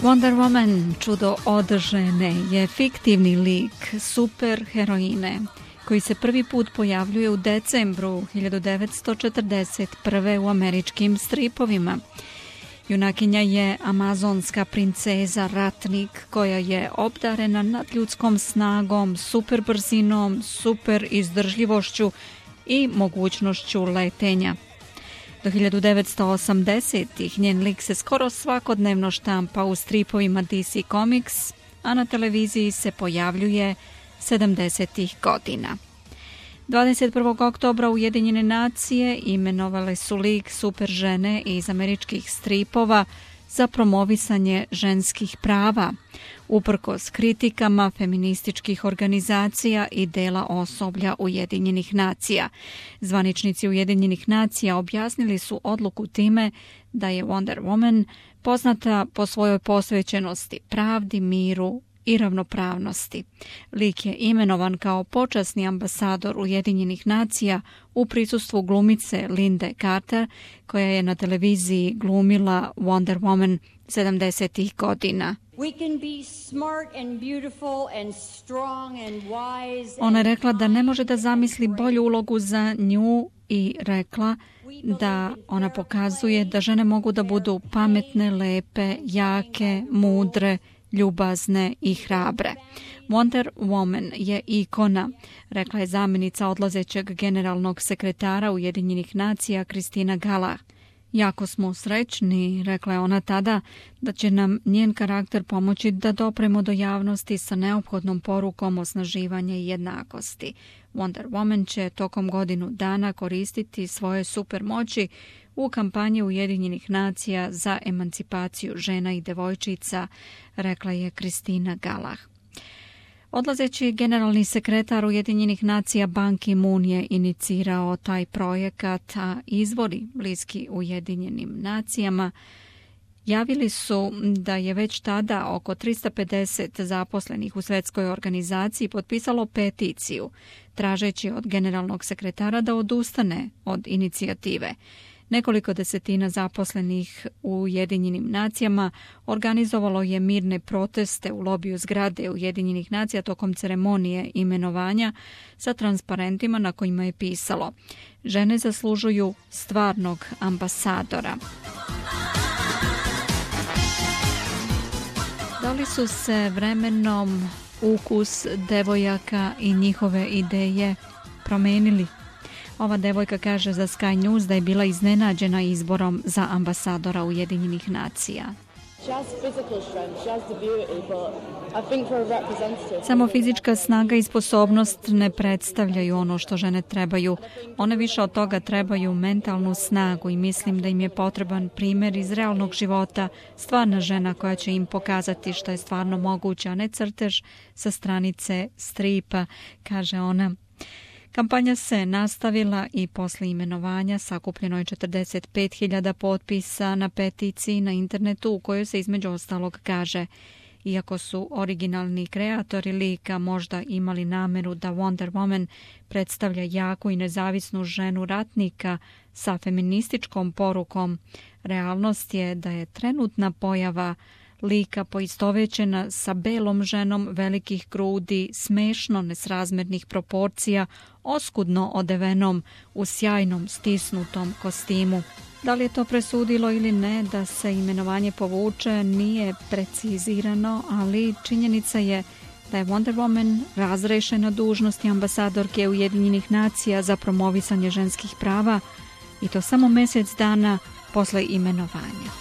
Wonder Woman, čudo od žene, je fiktivni lik superheroine koji se prvi put pojavljuje u decembru 1941. u američkim stripovima. Junakinja je amazonska princeza, ratnik koja je obdarena nadljudskom snagom, super brzinom, super izdržljivošću i mogućnošću letenja. Do 1980-ih njen lik se skoro svakodnevno štampa u stripovima DC Comics, a na televiziji se pojavljuje 70-ih godina. 21. oktobra Ujedinjene nacije imenovale su lik super žene iz američkih stripova za promovisanje ženskih prava, uprkos kritikama feminističkih organizacija i dela osoblja Ujedinjenih nacija. Zvaničnici Ujedinjenih nacija objasnili su odluku time da je Wonder Woman poznata po svojoj posvećenosti pravdi, miru i ravnopravnosti. Lik je imenovan kao počasni ambasador Ujedinjenih nacija u prisustvu glumice Linde Carter, koja je na televiziji glumila Wonder Woman 70-ih godina. Ona je rekla da ne može da zamisli bolju ulogu za nju i rekla da ona pokazuje da žene mogu da budu pametne, lepe, jake, mudre, ljubazne i hrabre. Wonder Woman je ikona, rekla je zamjenica odlazećeg generalnog sekretara Ujedinjenih nacija Kristina Galah. Jako smo srećni, rekla je ona tada, da će nam njen karakter pomoći da dopremo do javnosti sa neophodnom porukom osnaživanja i jednakosti. Wonder Woman će tokom godinu dana koristiti svoje supermoći u kampanji Ujedinjenih nacija za emancipaciju žena i devojčica, rekla je Kristina Galah. Odlazeći generalni sekretar Ujedinjenih nacija Ban Ki-moon je inicirao taj projekat, a izvori bliski Ujedinjenim nacijama javili su da je već tada oko 350 zaposlenih u svjetskoj organizaciji potpisalo peticiju, tražeći od generalnog sekretara da odustane od inicijative. Nekoliko desetina zaposlenih u Ujedinjenim nacijama organizovalo je mirne proteste u lobiju zgrade Ujedinjenih nacija tokom ceremonije imenovanja sa transparentima na kojima je pisalo: žene zaslužuju stvarnog ambasadora. Da li su se vremenom ukus devojaka i njihove ideje promenili? Ova devojka kaže za Sky News da je bila iznenađena izborom za ambasadora Ujedinjenih nacija. Samo fizička snaga i sposobnost ne predstavljaju ono što žene trebaju. One više od toga trebaju mentalnu snagu i mislim da im je potreban primjer iz realnog života, stvarna žena koja će im pokazati što je stvarno moguće, a ne crtež sa stranice stripa, kaže ona. Kampanja se nastavila i posle imenovanja sakupljeno je 45.000 potpisa na peticiji na internetu u kojoj se između ostalog kaže: iako su originalni kreatori lika možda imali nameru da Wonder Woman predstavlja jaku i nezavisnu ženu ratnika sa feminističkom porukom, realnost je da je trenutna pojava lika poistovećena sa belom ženom velikih grudi, smešno nesrazmernih proporcija, oskudno odevenom u sjajnom stisnutom kostimu. Da li je to presudilo ili ne da se imenovanje povuče nije precizirano, ali činjenica je da je Wonder Woman razrešena dužnosti ambasadorke Ujedinjenih nacija za promovisanje ženskih prava i to samo mjesec dana posle imenovanja.